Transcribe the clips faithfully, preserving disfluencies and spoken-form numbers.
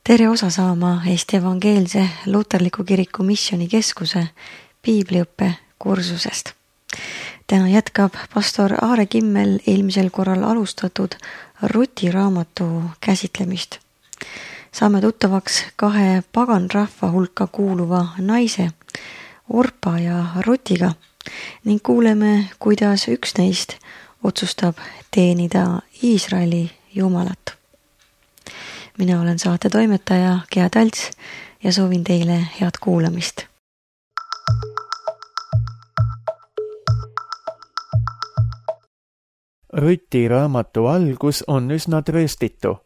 Tere osa saama Eesti Evangeelse Luterliku Kiriku Missioonikeskuse piibliõppe kursusest. Täna jätkab pastor Aare Kimmel eelmisel korral alustatud Ruti raamatu käsitlemist. Saame tuttavaks kahe paganrahva hulka kuuluva naise, Orpa ja Rutiga, ning kuuleme, kuidas üks neist otsustab teenida Iisraeli Jumalat. Mina olen saate toimetaja Gea Talts ja soovin teile head kuulamist. Ruti raamatu algus on üsna trööstitu.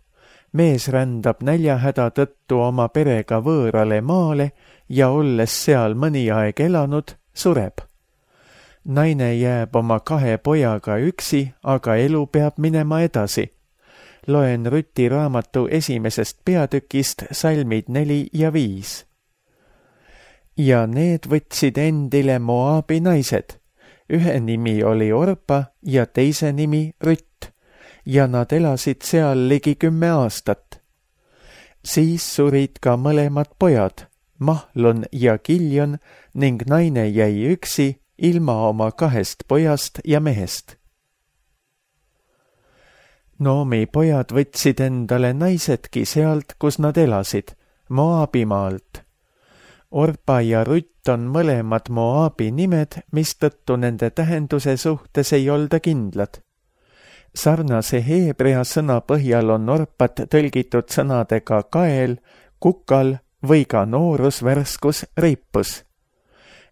Mees rändab näljahäda tõttu oma perega võõrale maale ja olles seal mõni aeg elanud, sureb. Naine jääb oma kahe pojaga üksi, aga elu peab minema edasi. Loen Ruti raamatu esimesest peatükist salmid neli ja viis. Ja need võtsid endile Moabi naised. Ühe nimi oli Orpa ja teise nimi Rütt, ja nad elasid seal ligi kümme aastat. Siis surid ka mõlemad pojad, Mahlon ja Kiljon, ning naine jäi üksi ilma oma kahest pojast ja mehest. Noomi pojad võtsid endale naisedki sealt, kus nad elasid, Moabimaalt. Orpa ja Rutt on mõlemad Moabi nimed, mistõttu nende tähenduse suhtes ei olda kindlad. Sarnase heebrea sõna põhjal on Orpat tõlgitud sõnadega kael, kukal või ka noorus, värskus, reipus.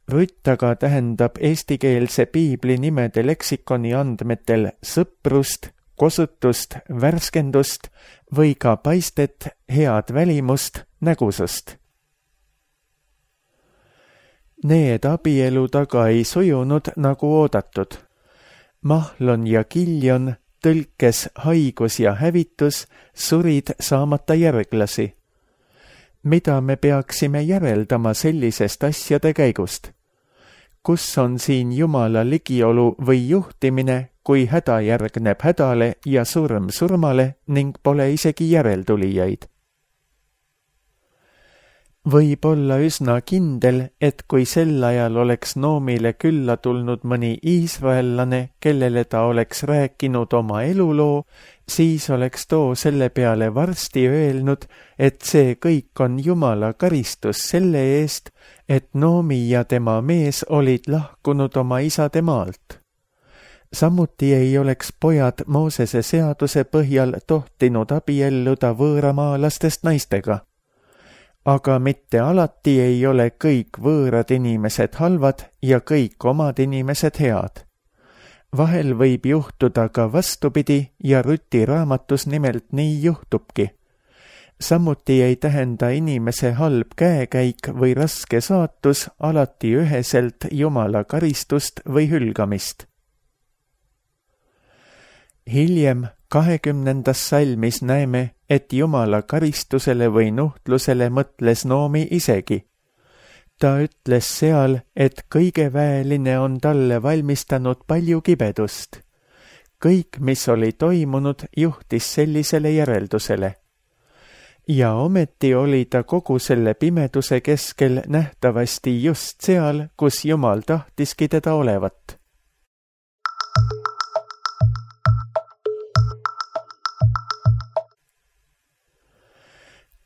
Rutt aga tähendab eestikeelse piibli nimede leksikoni andmetel sõprust, kosutust, värskendust või ka paistet, head välimust, nägusust. Need abielud aga ei sujunud nagu oodatud. Mahlon ja Kiljon, tõlkes haigus ja hävitus, surid saamata järglasi. Mida me peaksime järeldama sellisest asjade käigust? Kus on siin Jumala ligiolu või juhtimine, kui häda järgneb hädale ja surm surmale ning pole isegi järeltulijaid? Võib olla üsna kindel, et kui sel ajal oleks Noomile külla tulnud mõni iisraellane, kellele ta oleks rääkinud oma eluloo, siis oleks too selle peale varsti öelnud, et see kõik on Jumala karistus selle eest, et Noomi ja tema mees olid lahkunud oma isade maalt. Samuti ei oleks pojad Moosese seaduse põhjal tohtinud abielluda võõramaalastest naistega. Aga mitte alati ei ole kõik võõrad inimesed halvad ja kõik omad inimesed head. Vahel võib juhtuda ka vastupidi ja Ruti raamatus nimelt nii juhtubki. Samuti ei tähenda inimese halb käekäik või raske saatus alati üheselt Jumala karistust või hülgamist. Hiljem kahekümnendas salmis näeme, et Jumala karistusele või nuhtlusele mõtles Noomi isegi. Ta ütles seal, et kõige väeline on talle valmistanud palju kibedust. Kõik, mis oli toimunud, juhtis sellisele järeldusele. Ja ometi oli ta kogu selle pimeduse keskel nähtavasti just seal, kus Jumal tahtiski teda olevat.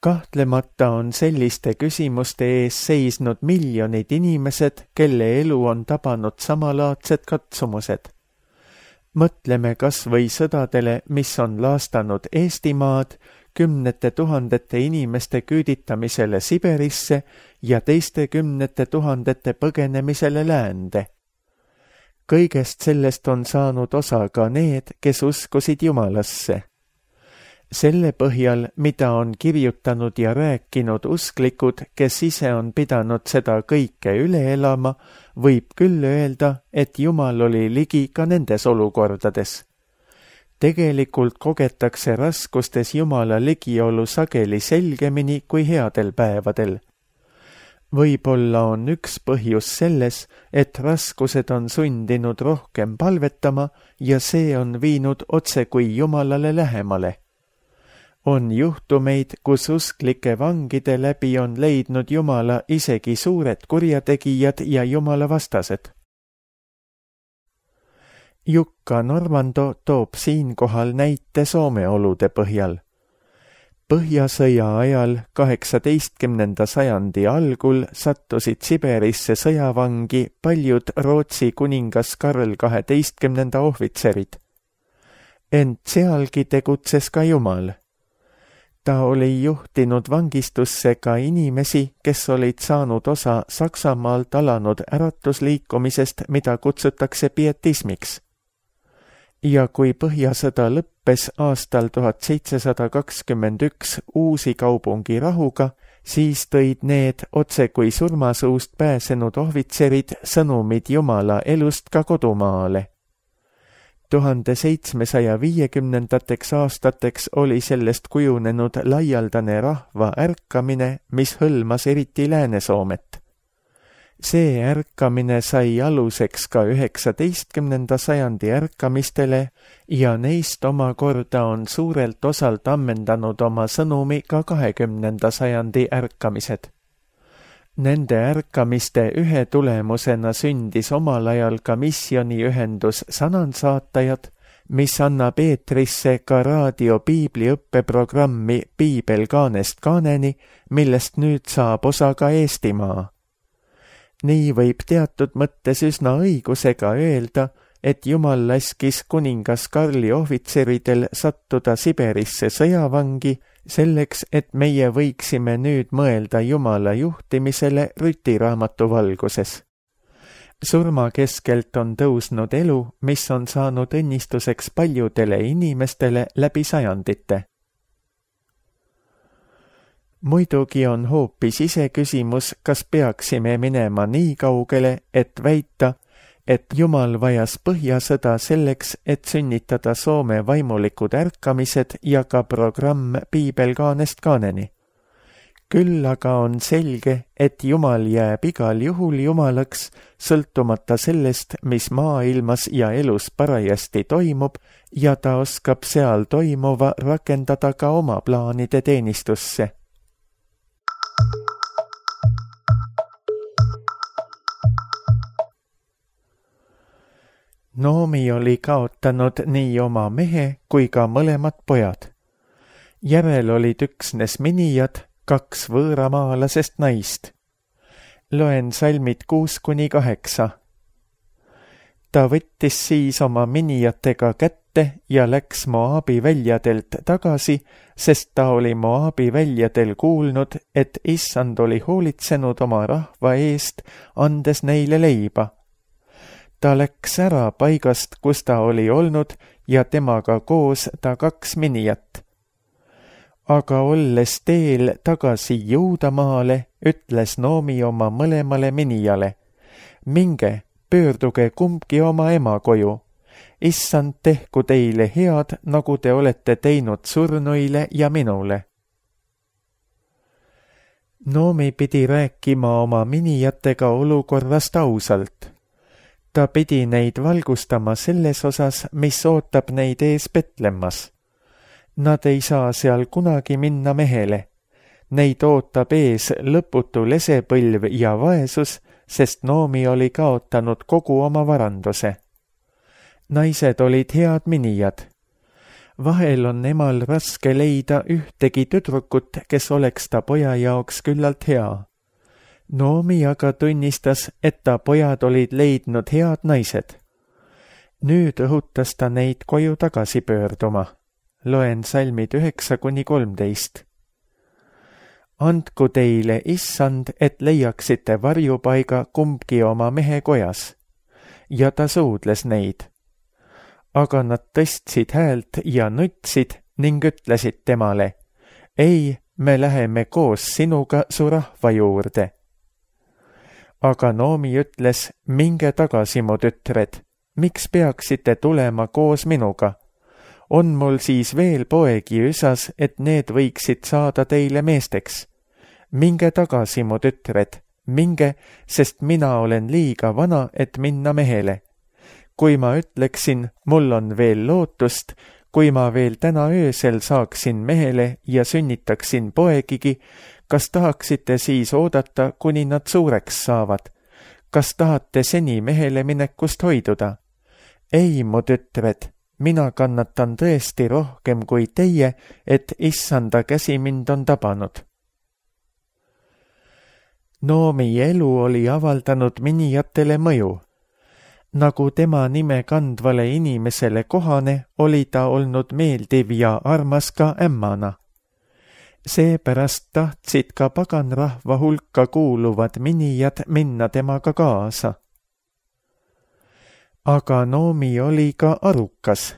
Kahtlemata on selliste küsimuste ees seisnud miljonid inimesed, kelle elu on tabanud samalaadsed katsumused. Mõtleme kas või sõdadele, mis on laastanud Eestimaad, kümnete tuhandete inimeste küüditamisele Siberisse ja teiste kümnete tuhandete põgenemisele läände. Kõigest sellest on saanud osa ka need, kes uskusid Jumalasse. Selle põhjal, mida on kirjutanud ja rääkinud usklikud, kes ise on pidanud seda kõike üle elama, võib küll öelda, et Jumal oli ligi ka nendes olukordades. Tegelikult kogetakse raskustes Jumala ligiolu sageli selgemini kui headel päevadel. Võib-olla on üks põhjus selles, et raskused on sundinud rohkem palvetama ja see on viinud otse kui Jumalale lähemale. On juhtumeid, kus usklike vangide läbi on leidnud Jumala isegi suured kurjategijad ja Jumala vastased. Jukka Normando toob siinkohal näite Soome olude põhjal. Põhjasõja ajal kaheksateistkümnenda sajandi algul sattusid Siberisse sõjavangi paljud Rootsi kuningas Karl kaheteistkümnenda ohvitserid. Ent sealgi tegutses ka Jumal. Ta oli juhtinud vangistusse ka inimesi, kes olid saanud osa Saksamaalt alanud äratusliikumisest, mida kutsutakse pietismiks. Ja kui Põhjasõda lõppes aastal tuhat seitsesada kakskümmend üks Uusi Kaupungi rahuga, siis tõid need otse kui surmasuust pääsenud ohvitserid sõnumid Jumala elust ka kodumaale. tuhande seitsmesaja viiekümnendateks aastateks oli sellest kujunenud laialdane rahva ärkamine, mis hõlmas eriti Lääne-Soomet. See ärkamine sai aluseks ka üheksateistkümnenda sajandi ärkamistele ja neist omakorda on suurelt osalt ammendanud oma sõnumi ka kahekümnenda sajandi ärkamised. Nende ärkamiste ühe tulemusena sündis omal ajal ka missioniühendus Sanansaatajad, mis annab eetrisse ka raadio piibliõppeprogrammi Piibel kaanest kaaneni, millest nüüd saab osa ka Eestimaa. Nii võib teatud mõttes üsna õigusega öelda, et Jumal laskis kuningas Karli ohvitseridel sattuda Siberisse sõjavangi selleks, et meie võiksime nüüd mõelda Jumala juhtimisele rütiraamatu valguses. Surma keskelt on tõusnud elu, mis on saanud õnnistuseks paljudele inimestele läbi sajandite. Muidugi on hoopis iseküsimus, kas peaksime minema nii kaugele, et väita, et Jumal vajas Põhjasõda selleks, et sünnitada Soome vaimulikud ärkamised ja ka programm Piibel kaanest kaaneni. Küll aga on selge, et Jumal jääb igal juhul Jumalaks, sõltumata sellest, mis maailmas ja elus parajasti toimub, ja ta oskab seal toimuva rakendada ka oma plaanide teenistusse. Noomi oli kaotanud nii oma mehe kui ka mõlemad pojad. Järel olid üksnes minijad, kaks võõramaalasest naist. Loen salmid kuus kuni kaheksa. Ta võttis siis oma minijatega kätte ja läks Moabi väljadelt tagasi, sest ta oli Moabi väljadel kuulnud, et Issand oli hoolitsenud oma rahva eest, andes neile leiba. Ta läks ära paigast, kus ta oli olnud, ja temaga koos ta kaks minijat. Aga olles teel tagasi Juudamaale, ütles Noomi oma mõlemale minijale: minge, pöörduge kumbki oma ema koju. Issand tehku teile head, nagu te olete teinud surnuile ja minule. Noomi pidi rääkima oma minijatega olukorrast ausalt. Ta pidi neid valgustama selles osas, mis ootab neid ees Betlemmas. Nad ei saa seal kunagi minna mehele. Neid ootab ees lõputu lesepõlv ja vaesus, sest Noomi oli kaotanud kogu oma varanduse. Naised olid head minijad. Vahel on emal raske leida ühtegi tüdrukut, kes oleks ta poja jaoks küllalt hea. Noomi aga tunnistas, et ta pojad olid leidnud head naised. Nüüd õhutas ta neid koju tagasi pöörduma. Loen salmid üheksa kuni kolmteist. Andku teile, Issand, et leiaksite varjupaiga kumbki oma mehe kojas. Ja ta suudles neid. Aga nad tõstsid häält ja nutsid ning ütlesid temale: ei, me läheme koos sinuga su rahva juurde. Aga Noomi ütles: minge tagasi, mu tütred, miks peaksite tulema koos minuga? On mul siis veel poegi üsas, et need võiksid saada teile meesteks? Minge tagasi, mu tütred, minge, sest mina olen liiga vana, et minna mehele. Kui ma ütleksin, mul on veel lootust, kui ma veel täna öösel saaksin mehele ja sünnitaksin poegigi, kas tahaksite siis oodata, kuni nad suureks saavad? Kas tahate seni mehele minekust hoiduda? Ei, mu tütred, mina kannatan tõesti rohkem kui teie, et issanda käsi mind on tabanud. Noomi elu oli avaldanud minijatele mõju. Nagu tema nime kandvale inimesele kohane, oli ta olnud meeldiv ja armas ka ämmana. Seepärast tahtsid ka paganrahva hulka kuuluvad minijad minna temaga kaasa. Aga Noomi oli ka arukas.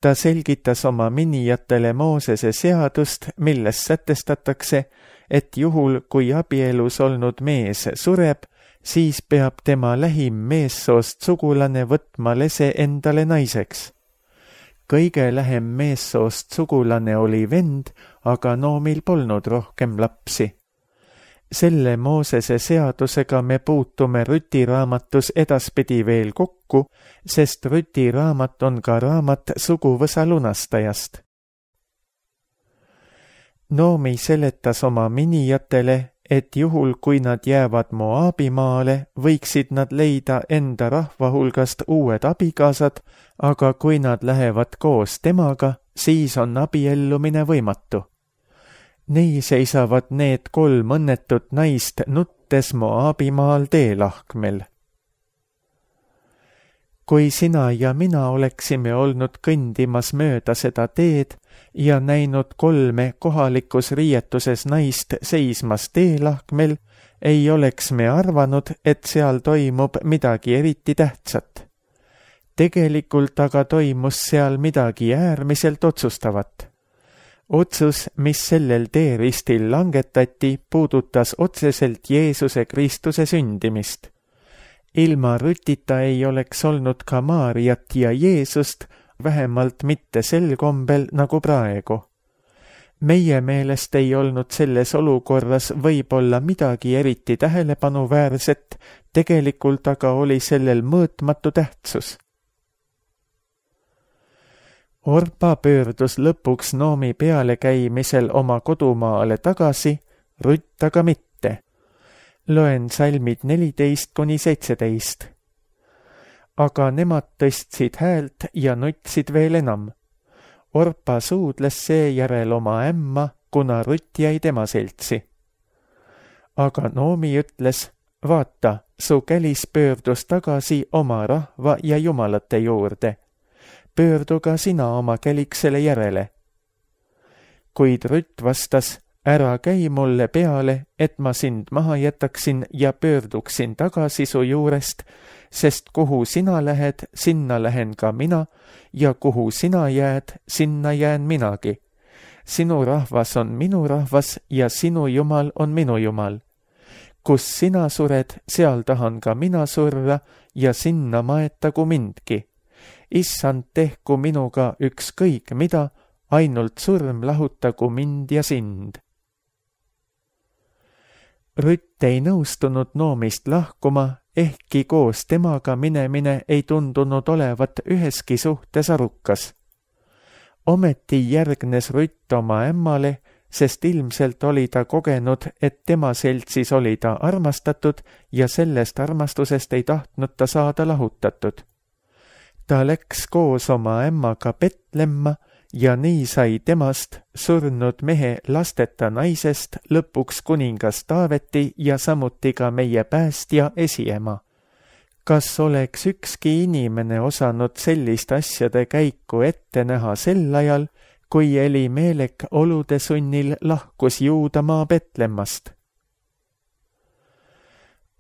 Ta selgitas oma minijatele Moosese seadust, milles sätestatakse, et juhul, kui abielus olnud mees sureb, siis peab tema lähim meessoost sugulane võtma lese endale naiseks. Kõige lähem meessoost sugulane oli vend, aga Noomil polnud rohkem lapsi. Selle Moosese seadusega me puutume Rüti raamatus edaspidi veel kokku, sest Rüti raamat on ka raamat suguvõsa lunastajast. Noomi seletas oma minijatele, et juhul, kui nad jäävad Moabimaale, võiksid nad leida enda rahva hulgast uued abikaasad, aga kui nad lähevad koos temaga, siis on abiellumine võimatu. Nii seisavad need kolm õnnetut naist nuttes Moabimaal teelahkmel. Kui sina ja mina oleksime olnud kõndimas mööda seda teed ja näinud kolme kohalikus riietuses naist seismas teelahkmel, ei oleks me arvanud, et seal toimub midagi eriti tähtsat. Tegelikult aga toimus seal midagi äärmiselt otsustavat. Otsus, mis sellel teeristil langetati, puudutas otseselt Jeesuse Kristuse sündimist. Ilma Rütita ei oleks olnud ka Maariat ja Jeesust, vähemalt mitte sel kombel nagu praegu. Meie meelest ei olnud selles olukorras võib-olla midagi eriti tähelepanuväärset, tegelikult aga oli sellel mõõtmatu tähtsus. Orpa pöördus lõpuks Noomi pealekäimisel oma kodumaale tagasi, Rütt aga mitte. Loen salmid neliteist kuni seitseteist. Aga nemad tõstsid häält ja nutsid veel enam. Orpa suudles seejärel oma ämma, kuna Rütt jäi tema seltsi. Aga Noomi ütles, vaata, su kälis pöördus tagasi oma rahva ja jumalate juurde. Pöördu ka sina oma käliksele järele. Kuid Rütt vastas, ära käi mulle peale, et ma sind maha jätaksin ja pöörduksin tagasi su juurest, sest kuhu sina lähed, sinna lähen ka mina, ja kuhu sina jääd, sinna jään minagi. Sinu rahvas on minu rahvas ja sinu jumal on minu jumal. Kus sina sured, seal tahan ka mina surra ja sinna maetagu mindki. Issand, tehku minuga ükskõik mida, ainult surm lahutagu mind ja sind. Rütt ei nõustunud Noomist lahkuma, ehkki koos temaga minemine ei tundunud olevat üheski suhtes arukas. Ometi järgnes Rütt oma ämmale, sest ilmselt oli ta kogenud, et tema seltsis oli ta armastatud ja sellest armastusest ei tahtnud ta saada lahutatud. Ta läks koos oma ämmaga Betlemma ja nii sai temast, surnud mehe lasteta naisest, lõpuks kuningas Taaveti ja samuti ka meie päästja esiema. Kas oleks ükski inimene osanud sellist asjade käiku ette näha sel ajal, kui Elimelek olude sunnil lahkus Juudamaa Betlemmast?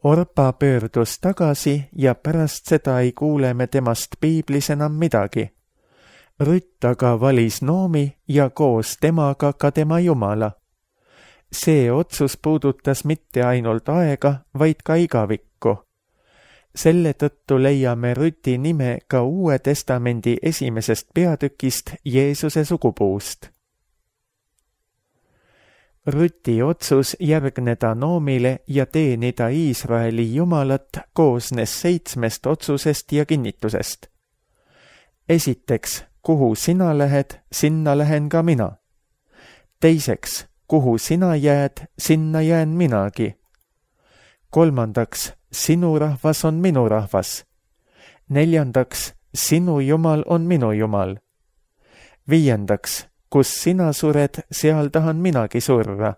Orpa pöördus tagasi ja pärast seda ei kuule me temast piiblis enam midagi. Rütt aga valis Noomi ja koos temaga ka tema jumala. See otsus puudutas mitte ainult aega, vaid ka igavikku. Selle tõttu leiame Rüti nime ka Uue Testamendi esimesest peatükist Jeesuse sugupuust. Rüti otsus järgneda Noomile ja teenida Iisraeli jumalat koosnes seitsmest otsusest ja kinnitusest. Esiteks, kuhu sina lähed, sinna lähen ka mina. Teiseks, kuhu sina jääd, sinna jään minagi. Kolmandaks, sinu rahvas on minu rahvas. Neljandaks, sinu jumal on minu jumal. Viiendaks, kus sina sured, seal tahan minagi surra.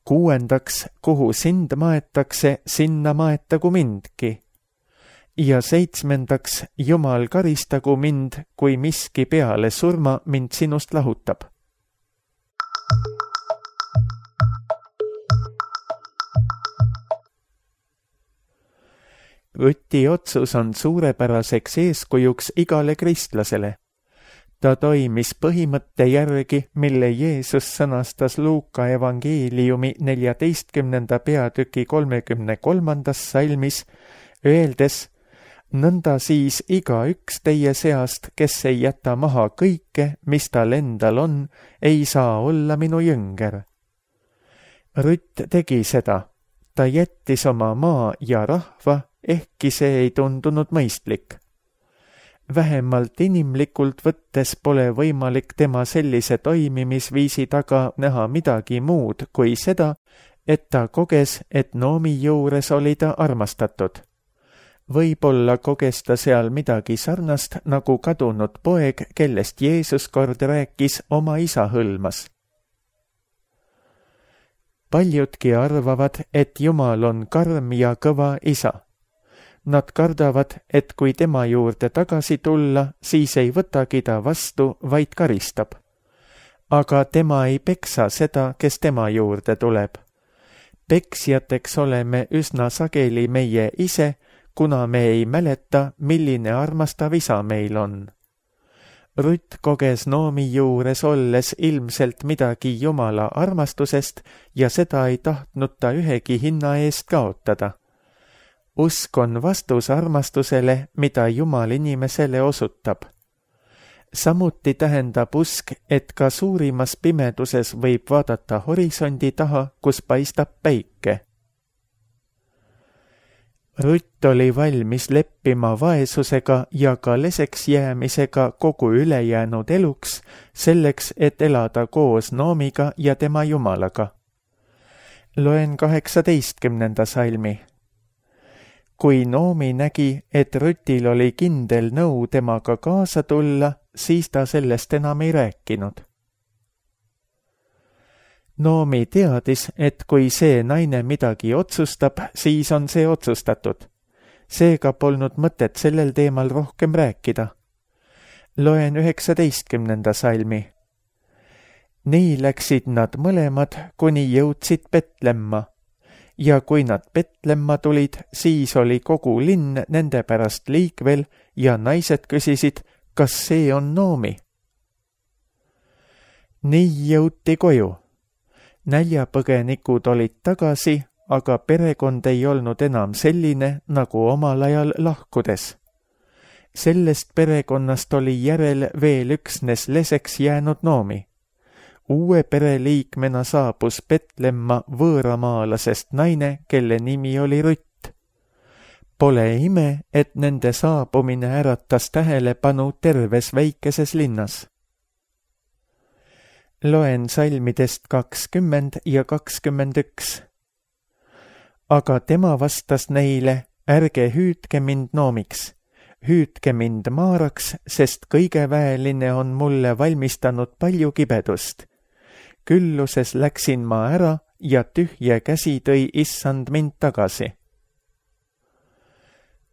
Kuuendaks, kuhu sind maetakse, sinna maetagu mindki. Ja seitsmendaks, Jumal karistagu mind, kui miski peale surma mind sinust lahutab. Rüti otsus on suurepäraseks eeskujuks igale kristlasele. Ta toimis põhimõtte järgi, mille Jeesus sõnastas Luuka evangeeliumi neljateistkümnenda peatüki kolmekümne kolmandas salmis, öeldes: nõnda siis igaüks teie seast, kes ei jäta maha kõike, mis tal endal on, ei saa olla minu jünger. Rütt tegi seda. Ta jättis oma maa ja rahva, ehkki see ei tundunud mõistlik. Vähemalt inimlikult võttes pole võimalik tema sellise toimimisviisi taga näha midagi muud kui seda, et ta koges, et Noomi juures oli ta armastatud. Võib-olla koges ta seal midagi sarnast, nagu kadunud poeg, kellest Jeesus kord rääkis, oma isa hõlmas. Paljudki arvavad, et Jumal on karm ja kõva isa. Nad kardavad, et kui tema juurde tagasi tulla, siis ei võtagi ta vastu, vaid karistab. Aga tema ei peksa seda, kes tema juurde tuleb. Peksjateks oleme üsna sageli meie ise, kuna me ei mäleta, milline armastav isa meil on. Rütt koges Noomi juures olles ilmselt midagi Jumala armastusest ja seda ei tahtnud ta ühegi hinna eest kaotada. Usk on vastus armastusele, mida Jumal inimesele osutab. Samuti tähendab usk, et ka suurimas pimeduses võib vaadata horisondi taha, kus paistab päike. Rütt oli valmis leppima vaesusega ja ka leseks jäämisega kogu ülejäänud eluks, selleks, et elada koos Noomiga ja tema Jumalaga. Loen kaheksateistkümnenda salmi. Kui Noomi nägi, et Rütil oli kindel nõu temaga kaasa tulla, siis ta sellest enam ei rääkinud. Noomi teadis, et kui see naine midagi otsustab, siis on see otsustatud. Seega polnud mõtet sellel teemal rohkem rääkida. Loen üheksateistkümnenda salmi. Nii läksid nad mõlemad, kuni jõudsid Betlemma. Ja kui nad Betlemma tulid, siis oli kogu linn nende pärast liikvel ja naised küsisid, kas see on Noomi. Nii jõuti koju. Näljapõgenikud olid tagasi, aga perekond ei olnud enam selline, nagu omal ajal lahkudes. Sellest perekonnast oli järel veel üksnes leseks jäänud Noomi. Uue pereliikmena saabus Betlemma võõramaalasest naine, kelle nimi oli Rütt. Pole ime, et nende saabumine äratas tähelepanu terves väikeses linnas. Loen salmidest kakskümmend ja kakskümmend üks. Aga tema vastas neile, ärge hüüdke mind Noomiks, hüüdke mind Maaraks, sest kõige väeline on mulle valmistanud palju kibedust. Külluses läksin ma ära ja tühje käsi tõi issand mind tagasi.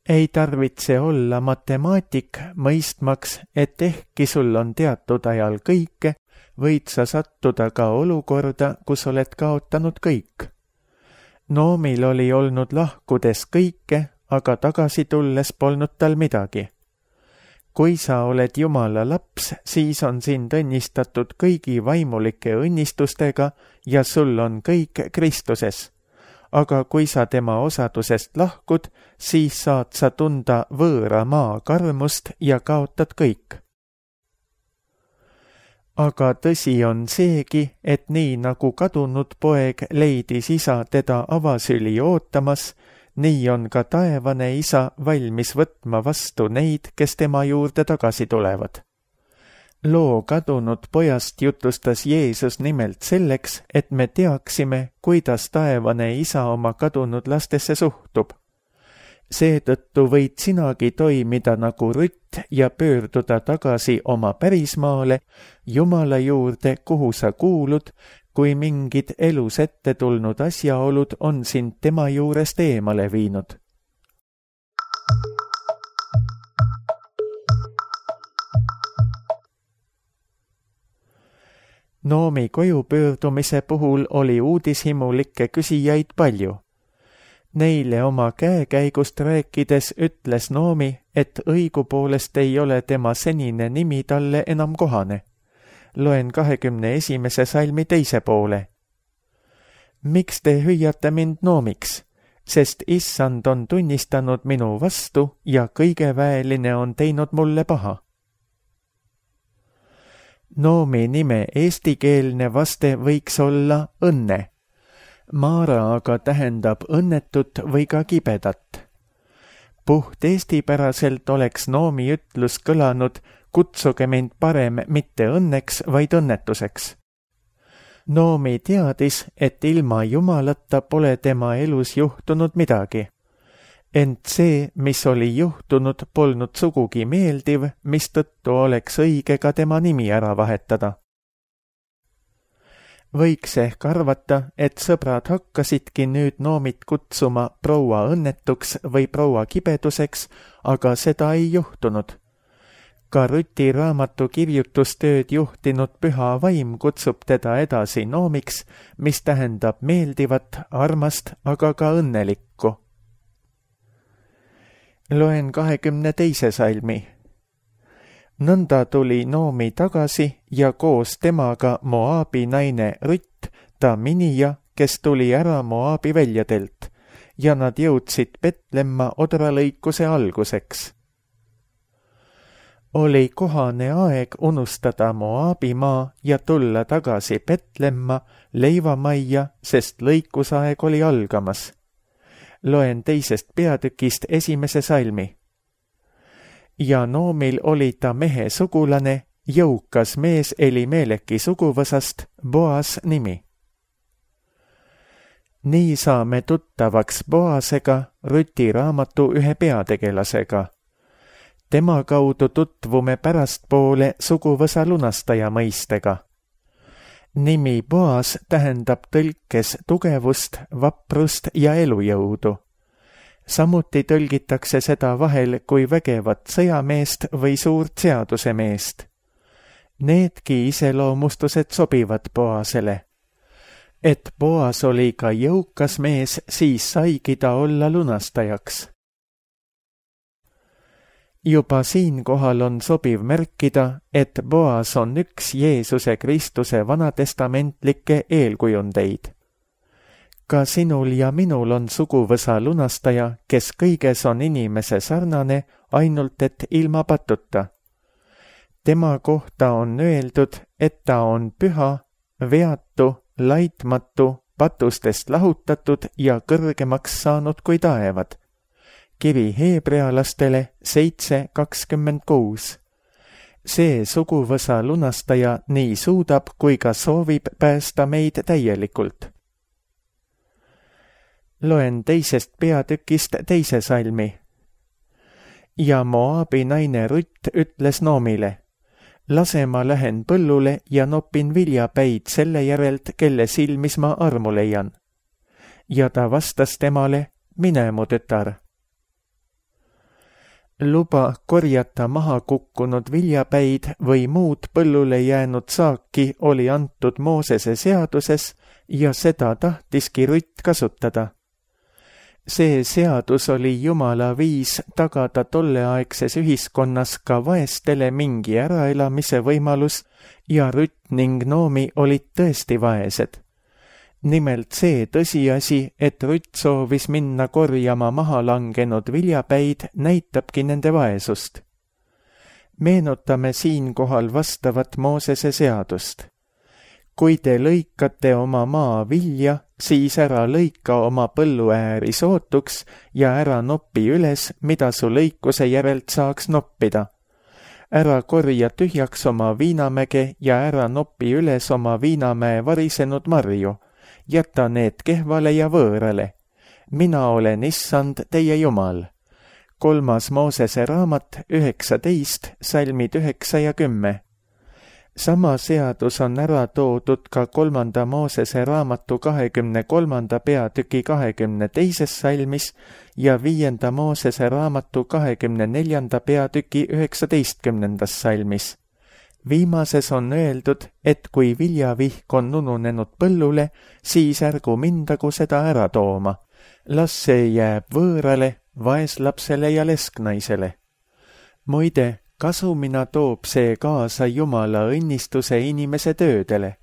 Ei tarvitse olla matemaatik mõistmaks, et ehkki sul on teatud ajal kõike, võid sa sattuda ka olukorda, kus oled kaotanud kõik. Noomil oli olnud lahkudes kõike, aga tagasi tulles polnud tal midagi. Kui sa oled Jumala laps, siis on sind õnnistatud kõigi vaimulike õnnistustega ja sul on kõik Kristuses. Aga kui sa tema osadusest lahkud, siis saad sa tunda võõra maa karmust ja kaotad kõik. Aga tõsi on seegi, et nii nagu kadunud poeg leidis isa teda avasüli ootamas, nii on ka taevane isa valmis võtma vastu neid, kes tema juurde tagasi tulevad. loo kadunud pojast jutustas Jeesus nimelt selleks, et me teaksime, kuidas taevane isa oma kadunud lastesse suhtub. Seetõttu võid sinagi toimida nagu Rutt ja pöörduda tagasi oma pärismaale, Jumala juurde, kuhu sa kuulud, kui mingid elus ette tulnud asjaolud on sind tema juurest eemale viinud. Noomi koju pöördumise puhul oli uudishimulikke küsijaid palju. Neile oma käekäigust rääkides ütles Noomi, et õigupoolest ei ole tema senine nimi talle enam kohane. Loen kahekümne esimese salmi teise poole. Miks te hüüate mind Noomiks, sest issand on tunnistanud minu vastu ja kõigeväeline on teinud mulle paha. Noomi nime eestikeelne vaste võiks olla õnne. Maara aga tähendab õnnetut või ka kibedat. Puht eestipäraselt oleks Noomi ütlus kõlanud, kutsuge mind parem mitte õnneks, vaid õnnetuseks. Noomi teadis, et ilma Jumalata pole tema elus juhtunud midagi. Ent see, mis oli juhtunud, polnud sugugi meeldiv, mistõttu oleks õige ka tema nimi ära vahetada. Võiks ehk arvata, et sõbrad hakkasidki nüüd Noomit kutsuma proua õnnetuks või proua kibeduseks, aga seda ei juhtunud. Ka Ruti raamatu kirjutustööd juhtinud püha vaim kutsub teda edasi Noomiks, mis tähendab meeldivat, armast, aga ka õnnelikku. Loen kahekümne teise salmi. Nõnda tuli Noomi tagasi ja koos temaga Moabi naine Rutt, ta minija, kes tuli ära Moabi väljadelt, ja nad jõudsid Betlemma odralõikuse alguseks. Oli kohane aeg unustada Moabi maa ja tulla tagasi Betlemma leivamajja, sest lõikusaeg oli algamas. Loen teisest peatükist esimese salmi. Ja Noomil oli ta mehe sugulane, jõukas mees Elimeleki suguvõsast, Boas nimi. Nii saame tuttavaks Boasega, Ruti raamatu ühe peategelasega. Tema kaudu tutvume pärastpoole suguvõsa lunastaja mõistega. Nimi Boas tähendab tõlkes tugevust, vaprust ja elujõudu. Samuti tõlgitakse seda vahel kui vägevat sõjameest või suurt seadusemeest. Needki iseloomustused sobivad Boasele. Et Boas oli ka jõukas mees, siis saigi ta olla lunastajaks. Juba siinkohal on sobiv märkida, et Boas on üks Jeesuse Kristuse vanatestamentlikke eelkujundeid. Ka sinul ja minul on suguvõsa lunastaja, kes kõiges on inimese sarnane, ainult et ilma patuta. Tema kohta on öeldud, et ta on püha, veatu, laitmatu, patustest lahutatud ja kõrgemaks saanud kui taevad. Kiri heebrealastele seitse kakskümmend kuus. See suguvõsa lunastaja nii suudab kui ka soovib päästa meid täielikult. Loen teisest peatükist teise salmi. Ja Moabi naine Rutt ütles Noomile, lase ma lähen põllule ja nopin viljapäid selle järelt, kelle silmis ma armu leian. Ja ta vastas temale, mine mu tütar. Luba korjata maha kukkunud viljapäid või muud põllule jäänud saaki oli antud Moosese seaduses ja seda tahtiski Rutt kasutada. See seadus oli Jumala viis tagada tolleaegses ühiskonnas ka vaestele mingi äraelamise võimalus ja Rutt ning Noomi olid tõesti vaesed. Nimelt see tõsiasi, et Rutt soovis minna korjama maha langenud viljapäid, näitabki nende vaesust. Meenutame siinkohal vastavat Moosese seadust. Kui te lõikate oma maa vilja, siis ära lõika oma põlluääri sootuks ja ära noppi üles, mida su lõikuse järelt saaks noppida. ära korja tühjaks oma viinamäge ja ära nopi üles oma viinamäe varisenud marju. Jäta need kehvale ja võõrale. Mina olen issand teie Jumal. Kolmas Moosese raamat üheksateist, salmid üheksa ja kümme. Sama seadus on ära toodud ka kolmanda Moosese raamatu kahekümne kolmanda peatüki kahekümne teises salmis ja viienda Moosese raamatu kahekümne neljanda peatüki üheksateistkümnendas salmis. Viimases on öeldud, et kui viljavihk on ununenud põllule, siis ärgu mindagu seda ära tooma. Las see jääb võõrale, vaeslapsele ja lesknaisele. Muide, kasumina toob see kaasa Jumala õnnistuse inimese töödele.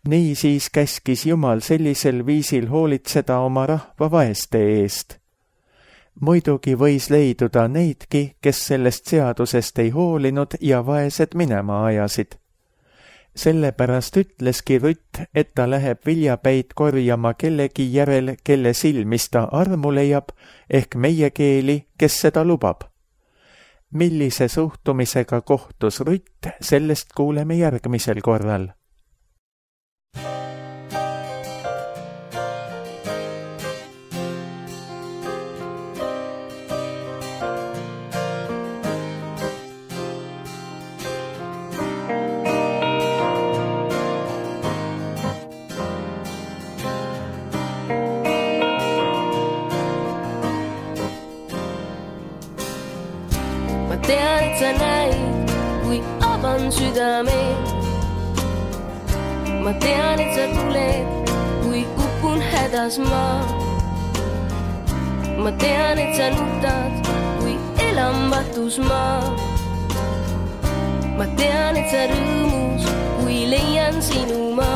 Niisiis käskis Jumal sellisel viisil hoolitseda oma rahva vaeste eest. Muidugi võis leiduda neidki, kes sellest seadusest ei hoolinud ja vaesed minema ajasid. Sellepärast ütleski Rütt, et ta läheb viljapäid korjama kellegi järel, kelle silmis ta armu leiab, ehk meie keeli, kes seda lubab. Millise suhtumisega kohtus Rütt, sellest kuuleme järgmisel korral. Tean, et sa näid, kui avan südame. Ma tean, et sa tuled, kui upun hädas ma. Ma tean, et sa nutad, kui elan vatus ma. Ma tean, et sa rõõmus, kui leian sinu ma.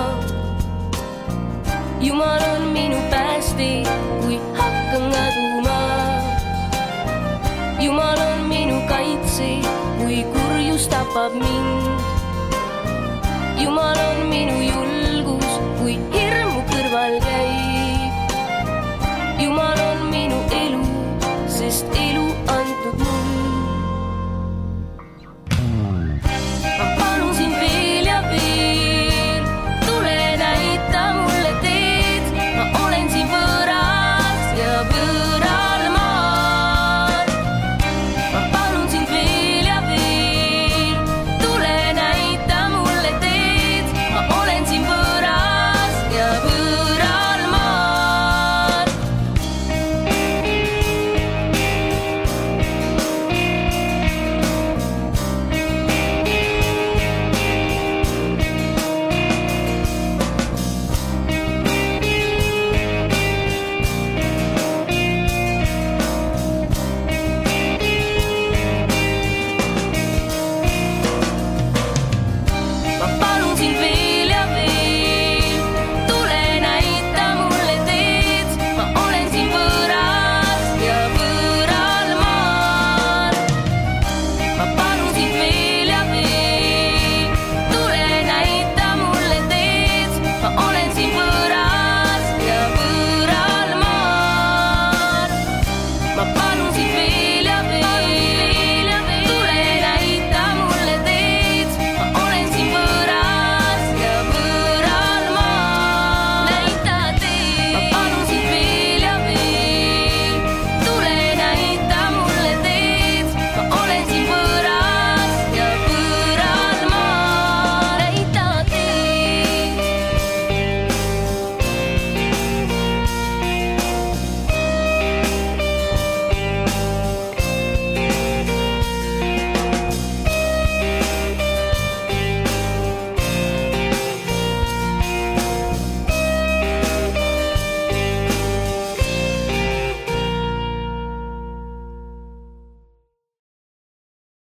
Jumal on minu päästi, kui hakkan kaduma. Jumal on minu kaitse, kui kurjus tapab mind. Jumal on minu julgus.